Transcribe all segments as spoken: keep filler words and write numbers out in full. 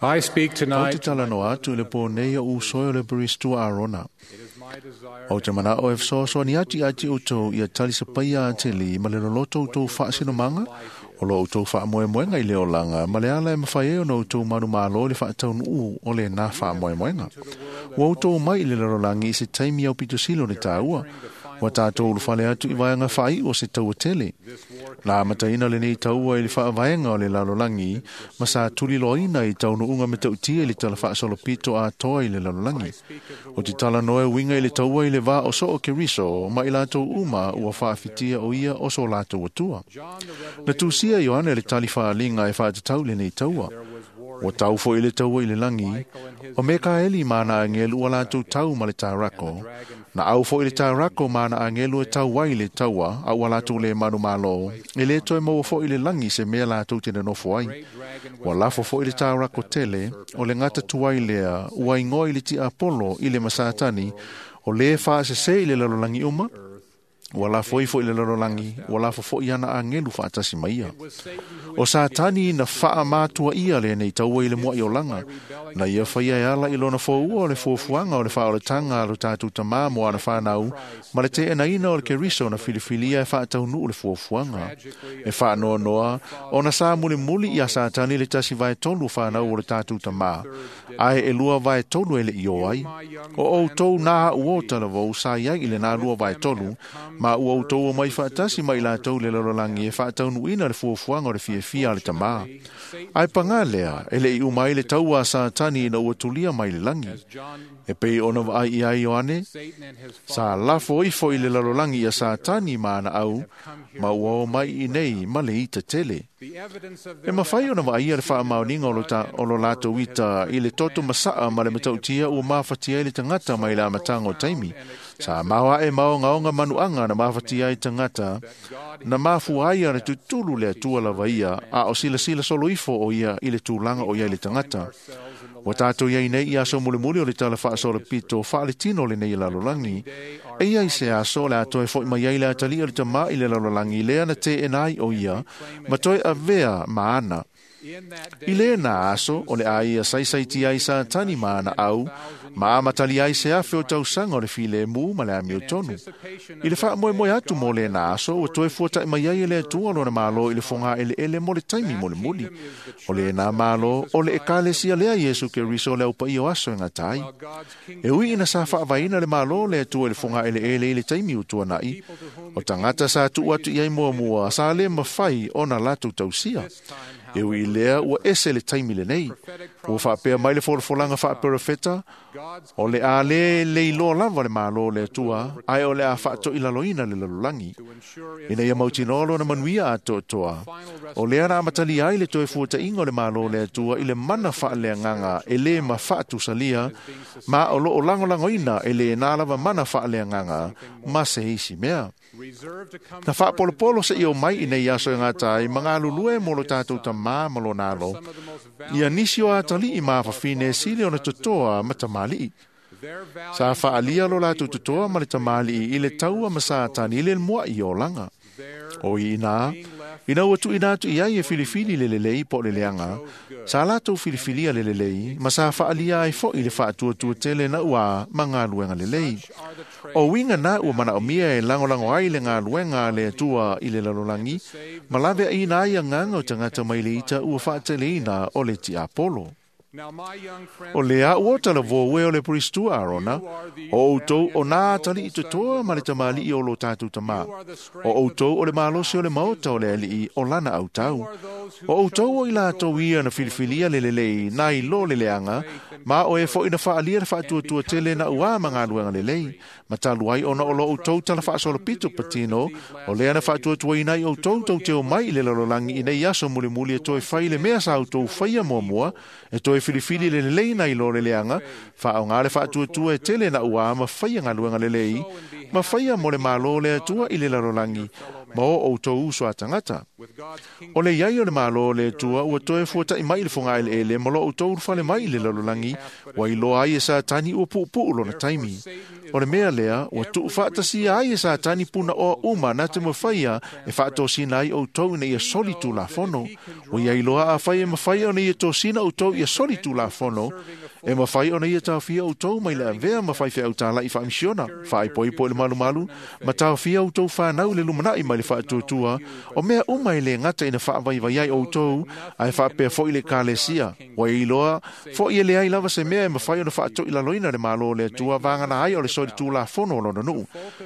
I speak Ou te tonight. talanoa atu i le pō nei o usoe o le Peristua Arona. It is my desire Ou te manao e fesoasoani atu ia te outou ia talisapaia atili ma le loloto outou faasinomanga, o lo outou faamoemoega i le olaga ma le ala e mafai ai ona outou manumalo i le faataunuu o lenā faamoemoega. Ua outou mai i le lalolagi i se taimi aupito sili o le tāua, ua tatou ulufale atu i vaega faaiu o se taua tele. Na amataina lenei taua i le faavaega o le lalolagi ma sa tuliloaina i taunuuga matautia i le tala faasolopito atoa i le lalolagi. O te talanoa e uiga i le taua i le vā o soo Keriso ma i latou uma ua faafitia o ia o so latou atua. Na tusia Ioane le tali faaliga e faatatau lenei taua. Ua tau foi le taua i le lagi, o Mekaeli ma ana agelu ua latou tau ma le tarako. Na au foi le tarako ma ana agelu e tau ai le taua, a ua latou le manumalo, e le toe maua foi le lagi se mea latou te nonofo ai. Ua lafo foi le tarako tele, o le gata tuai lea, ua igoa i le tiapolo i le masatani, o le faasese i le lalolagi uma, ua lafo ifo i le lalolagi, ua lafo foi ana agelu faatasi mai ia. O Satani na faamatua ia lenei taua i le muai olaga, na ia faia e ala i lona foua o le fuafuaga o le faaolataga a lo tatou tamā mo ana fanau, ma le teenaina o le Keriso na filifilia e faataunuu le fuafuaga. E faanoanoa, ona sa mulimuli ia Satani le tasi vae tolu o fanau o le tatou tamā, ae e lua vae tolu e le i o ai. O outou nā ua o talavou sa iai i lenā lua vae tolu, ma ua outou o mai faatasi ma i latou le lalolagi e faataunuuina le fuafuaga o le fiafia a le tamā. Ae pagā lea, e le i uma ai le taua a Satani ina ua tulia mai le lagi. E pei ona vaai i ai Ioane, Satan and his sa lafo ifo i le lalolagi ia Satani ma ana au, ma ua o mai i nei ma le ita tele. The evidence of E their mafai ona vaaia le faamaoniga o lo ta- o lo latou ita i le toto masaa ma le matautia ua mafatia ai le tagata mai le amataga o taimi. Sa maoae maogaoga manuaga na mafatia ai tagata, na mafua ai ona tutulu le Atua lava ia, a o silasila solo ifo o ia i le tulaga o ia i le tagata. Ua tatou iai nei i aso mulimuli o le tala faasolopito faaletino lenei lalolagi. E ia i se aso le a toe foi mai ai le atalii o le tamā i le lalolagi lea na teena ai o ia, ma toe avea ma ana. in that I day lena aso o le a ia saisaitia ai Satani ma ana au, ma amatali ai se afe o tausaga o le filemu ma le amiotonu. I le faamoemoe atu mo lena aso, ua toe fuata'i mai ai e le Atua lona malo i le fogaeleele mo le taimi mulimuli. O lenā malo, o le ekalesia lea Iesu Keriso le aupaia o aso e gata ai. while God's E kingdom ui ina sa faavaina le malo le Atua i le fogaeleele i le taimi o tuana'i, o tagata sa tuu atu i ai muamua sa le mafai ona latou tausia. E ui i lea ua ese le taimi lenei. Ua faapea mai le folafolaga faaperofeta, God's o le a le leiloa lava le malo o le Atua, ae o le a faatoilaloina le lalolagi. to ensure its Ina ia mautinoa lona manuia atoatoa. O lea na amatalia ai le toe fuata'iga o le malo o le Atua i le mana faaleagaga e lē ma faatusalia, ma o loo lagolagoina e lenā lava mana faaleagaga ma se isi mea. reserved to come Na faapolopolo se i o mai i nei aso e gata ai, ma galulue mo lo tatou tamā ma lona alo. some of the most Ia valiant nisi o atalii ma afafine sili ona totoa ma tamalii. their Sa valiant faalia lo latou totoa ma le tamalii i le taua ma Satani i le mua'i o olaga. their O i ina, ina ua tuuina atu i ai e filifili le lelei po o le leaga, sa latou filifilia le lelei, ma sa faalia ai foi le faatuatua tele na ua ma galuega lelei. are the traits O uiga na ua manaomia e lagolago ai le galuega a le Atua i le lalolagi, ma laveaina ai agaga o tagata mai le ita ua faateleina o le tiapolo. Now my young friends O le a ua talavou e o le Peristua Arona, o outou o nā atalii totoa ma le tamalii o lo tatou tamā. O outou o le malosi o le maota o le alii o lana autau. O outou o i latou ia na filifilia le lelei na i lo le leaga, ma o e foi na faalia le faatuatua tele na ua ma galuega lelei. Ma talu ai ona o lo outou tala faasolopito patino, o lea na faatuatuaina ai outou tou te o mai i le lalolagi i nei aso mulimuli e toe fai le mea sa outou faia muamua, e toe filifili le lelei na i lo le leaga, faaoga le faatuatua e tele na ua ma faia galuega lelei, ma faia mo le malo le Atua i le lalolagi, ma o outou uso a tagata. with God's kingdom O le iai o le malo le Atua ua toe fuata'i mai i le fogaeleele ma lo outou ulufale mai i le lalolagi, ua iloa ai e Satani ua puupuu lona taimi. O le mea lea, ua tuufaatasia ai e Satani punaoa uma na te mafaia e faatosina ai outou ina ia soli tulafono. Ua ia iloa afai e mafai ona ia tosina outou ia soli tulafono, e mafai ona ia taofia outou mai le avea ma faifeau talai faamisiona, faaipoipo i le malumalu, ma taofia outou fanau i le lumanai mai le faatuatua, o mea uma e le gata ina faavaivai ai outou, ae faapea foi le ekalesia. Ua ia iloa foi e leai lava se mea e mafai ona faatoilaloina le Malo o le Atua vagana ai o le soli tulafono o lona nuu.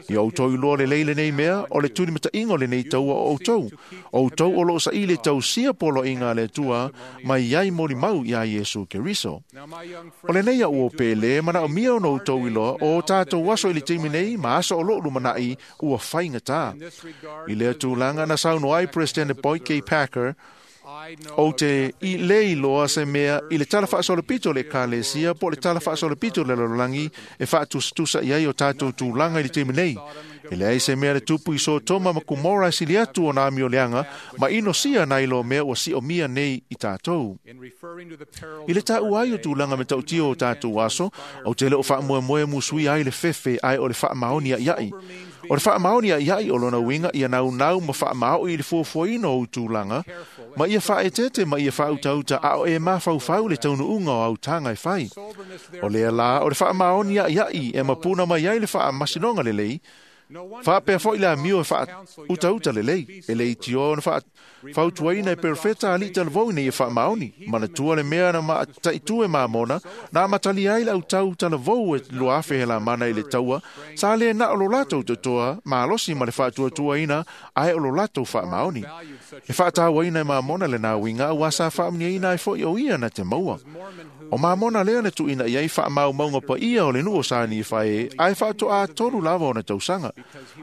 Ia outou iloa lelei lenei mea, o le tulimataiga o lenei taua o outou. O outou o loo saili e tausia poloaiga a le Atua mai ai molimau iā Iesu Keriso. Now, my young O lenei friends, au o pele, manaomia ona outou iloa, o tatou aso i le taimi nei, ma aso o loo lumanai, ua faigata. in this regard, I lea tulaga na saunoa ai President Boyd K. Packer, I know ou of te i le iloa se mea i le tala faasolopito o le ekalesia po o le tala faasolopito o le lalolagi e faatusatusa i ai o tatou tulaga i le taimi nei. E leai se mea le tupu i Sotoma ma Kumora e sili atu ona amioleaga ma inosia nai lo mea ua siomia nei i tatou. in referring to the perils I le of our taua ai o day, tulaga me tautia o tatou aso, inspire ou te le o faamoemoe musui ai le fefe ai o le faamaoni aiai. O le faamaoni aiai o lona uiga ia naunau ma faamaoi i le fuafuaina o ou tulaga, ma ia faaeteete ma ia faautauta a o e mafaufau le taunuuga o autaga e fai. soberness O lea la, o le faamaoni aiai e mapuna mai ai le faamasinoga lelei, No wonder faapea then foi le amio e counsel young faautautauta men to lelei, be e le sober. itioa ona faafautuaina e perofeta alii talavou ina ia faamaoni. Manatua le mea na mataitu e mamona, na amatalia ai le autau talavou e lua afe he lamana i le taua, sa le na o lo latou totoa, malosi ma le faatuatuaina, ae o lo latou faamaoni. Valued such E faatauaina e mamona le nā uiga, ua sa faamuniaina ai foi o ia na te maua. Mormon who O mamona lea na tuuina i ai faamaumauga paia o le nuu o sa Nifae, ae faatoa tolu lava ona tausaga.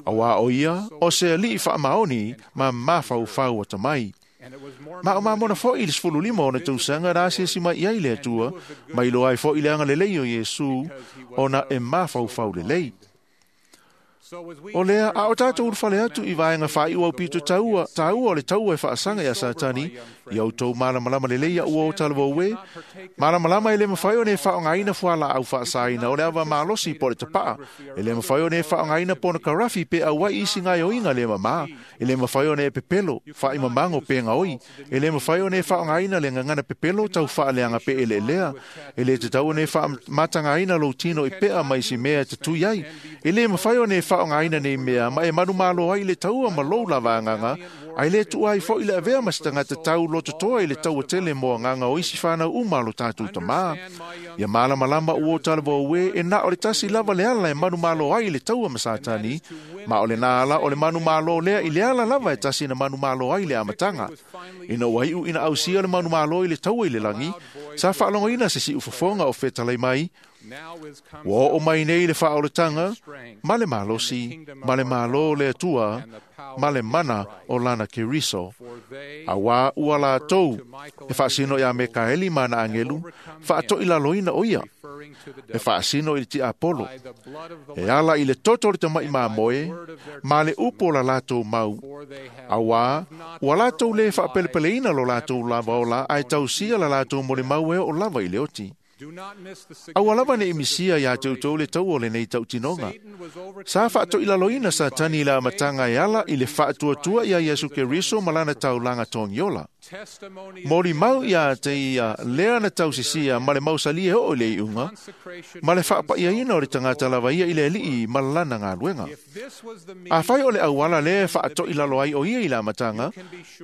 Auā o ia, o se alii faamaoni ma mafaufau atamai. and it was Mormon Ma o mamona foi i le sefulu lima ona tausaga na asiasi mai i ai le Atua, ma iloa ai foi le agalelei o Iesu, ona e mafaufau lelei. So as we O lea, enter a o the tatou final ulufale atu i vaega faaiu au pito taua, taua o le taua e faasaga iā Satani, ia outou malamalama lelei ia ua o talavou e, malamalama e le mafai ona e faaaogaina fualaau faasaina o le ava malosi po o le tapaa, e le mafai ona e faaaogaina ponokarafi pe auai isi gaoioiga le mamā, e le mafai ona e pepelo, faaimamago pe gaoi, e le mafai ona e faaaogaina le gagana pepelo tau faaleaga pe eleelea, e le tatau ona e faamatagaina lou tino i pea ma isi mea e tatui ai, e le mafai ona e faaaogaina nei mea ma e manumalo ai i le taua ma lou lava agaga, ae le tuua ai foi le avea ma se tagata tau lototoa i le taua tele mo agaga o isi fanau uma o lo tatou tamā. Ia malamalama ua o talavou e, e na o le tasi lava le ala e manumalo ai i le taua ma Satani, ma o lena ala o le manumalo lea i le ala lava e tasi na manumalo ai i le amataga. Ina ua iu ina ausia le manumalo i le taua i le lagi, sa faalogoina se siufofoga o fetalai mai, now is come ua oo mai nei le faaolataga, ma le malosi, ma le malo o le Atua, ma le mana o lana Keriso. for they Auā ua latou e faasino iā Mekaeli ma ana agelu, faatoilaloina o ia, referring to the e devil faasino i le tiapolo, by the blood of the e Lamb, ala i le toto o le tama'i mamoe, ma le upu o la latou mau. for they have Auā, not ua latou their le own faapelepeleina lives lo latou lava ola, ae tausia la latou molimau e oo lava i le oti. Do not miss the Aua lava ne i significance of misia this iā te outou le taua o lenei tautinoga. Satan was overcome Sa in the faatoilaloina beginning by Satani i le amataga e ala i le faatuatua iā Iesu Keriso ma lana taulaga togiola. testimony Molimau iā te ia lea na tausisia ma le mausali e oo i le iuga, consecration ma le of oneself faapaiaina o le to the tagata Lord. lava ia i le alii ma lana galuega. If this was the A means fai o le auala lea e faatoilalo ai o ia i le amataga,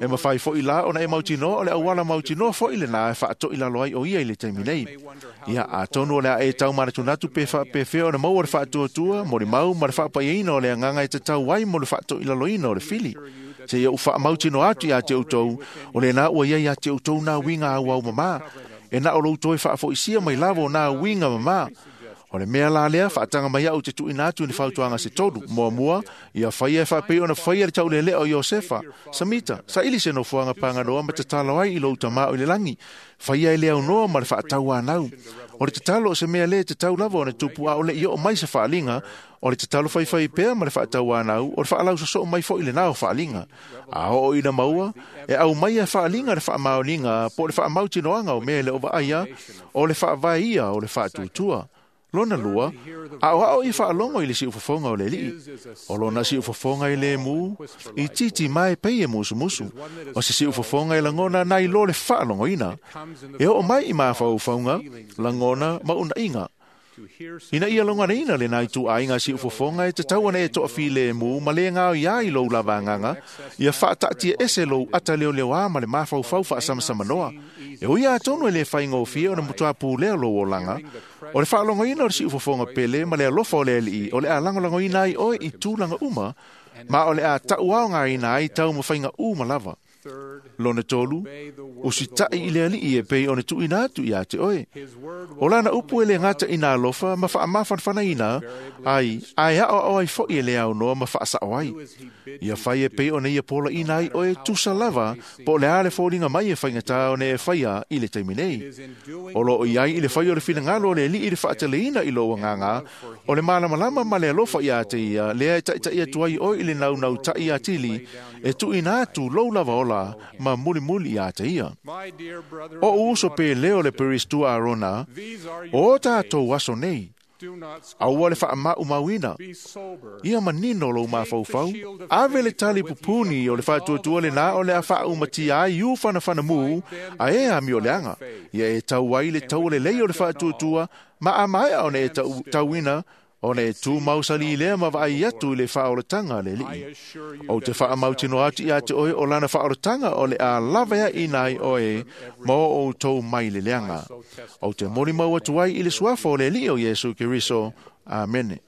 e mafai foi la ona e mautinoa o le auala mautinoa foi lenā e faatoilalo ai o ia i le taimi nei. may wonder how Ia to atonu o le a e taumanatunatu pe faapefea ona maua le faatuatua, molimau ma le faapaiaina o le agaga e tatau ai mo le faatoilaloina o le fili. Se ia u faamautinoa atu iā te outou, o lenā ua ia iā te outou nā uiga auau mamā, e na o lou toe faafoisia mai lava o nā uiga mamā. O le mea la lea, faataga mai au te tuuina atu i le fautuaga se tolu. Muamua, ia faia e faapei ona faia le taulelea o Iosefa. Samita, saili se nofoaga paganoa ma tatalo ai i lou tamā o i le lagi. Faia e le aunoa ma le faatauanau. O le tatalo o se mea lē tatau lava ona tupu a o le i oo mai se faaliga, o le tatalo faifai pea ma le faatauanau, o le faalausosoo mai foi lenā o faaliga. A oo ina maua, e aumaia e faaliga le faamaoniga po o le faamautinoaga o mea e le o vaaia, o le faavae ia o le faatuatua. Lona lua, a'oa'o ia faalogo i le siufofoga o le Alii. O lona siufofoga e lemu, i titi ma e pei e musumusu. O se siufofoga e lagona nai lo le faalogoina. E oo mai i mafaufauga, lagona ma uunaiga. Ina ia loganaina lena ituaiga siufofoga e tatau ona e toafilemu ma le gaoia ai lou lava agaga, ia faataatiaese lou ata leoleoā ma le mafaufau faasamasamanoa. E ui atonu e lē faigofie ona matuā pulea lou olaga, o le faalogoina o le siufofoga pele ma le alofa o le Alii o le a lagolagoina ai oe i tulaga uma, ma o le a taʻuaogaina ai taumafaiga uma lava. Lona tolu, usitaʻi i le Alii e pei ona tuuina atu iā te oe. O lana upu e lē gata ina alofa ma faamafanafanaina ai, ae aʻoaʻo ai foʻi e le aunoa ma faasaʻo ai. Ia fai e pei ona ia polaina ai oe tusa lava po o le a le foliga mai e faigatā ona e faia i le taimi nei. O loo i ai i le fai o le finagalo o le Alii i le faateleina i lou agaga, o le malamalama ma le alofa iā te ia, lea e taʻitaʻi atu ai oe i le naunautaʻi atili, e tuuina atu lou lava ola ma mulimuli iā te ia. O uso pe leo le Peristua Arona, o tatou aso nei, aua le faamaumauina. Ia manino lou mafaufau, ave le tali pupuni o le faatuatua lenā o le a faaumatia ai iu fanafanamu a e amioleaga. Ia e tau ai le taua lelei o le faatuatua, ma a maea ona e tauina, ona e tumau salī lea ma vaai atu i le faaolataga a le Alii. Ou te faamautinoa atu iā te oe o lana faaolataga o le a lavaeaʻina ai oe ma o outou mai le leaga. Ou te molimau atu ai i le suafa o le Alii o Iesu Keriso. Amene.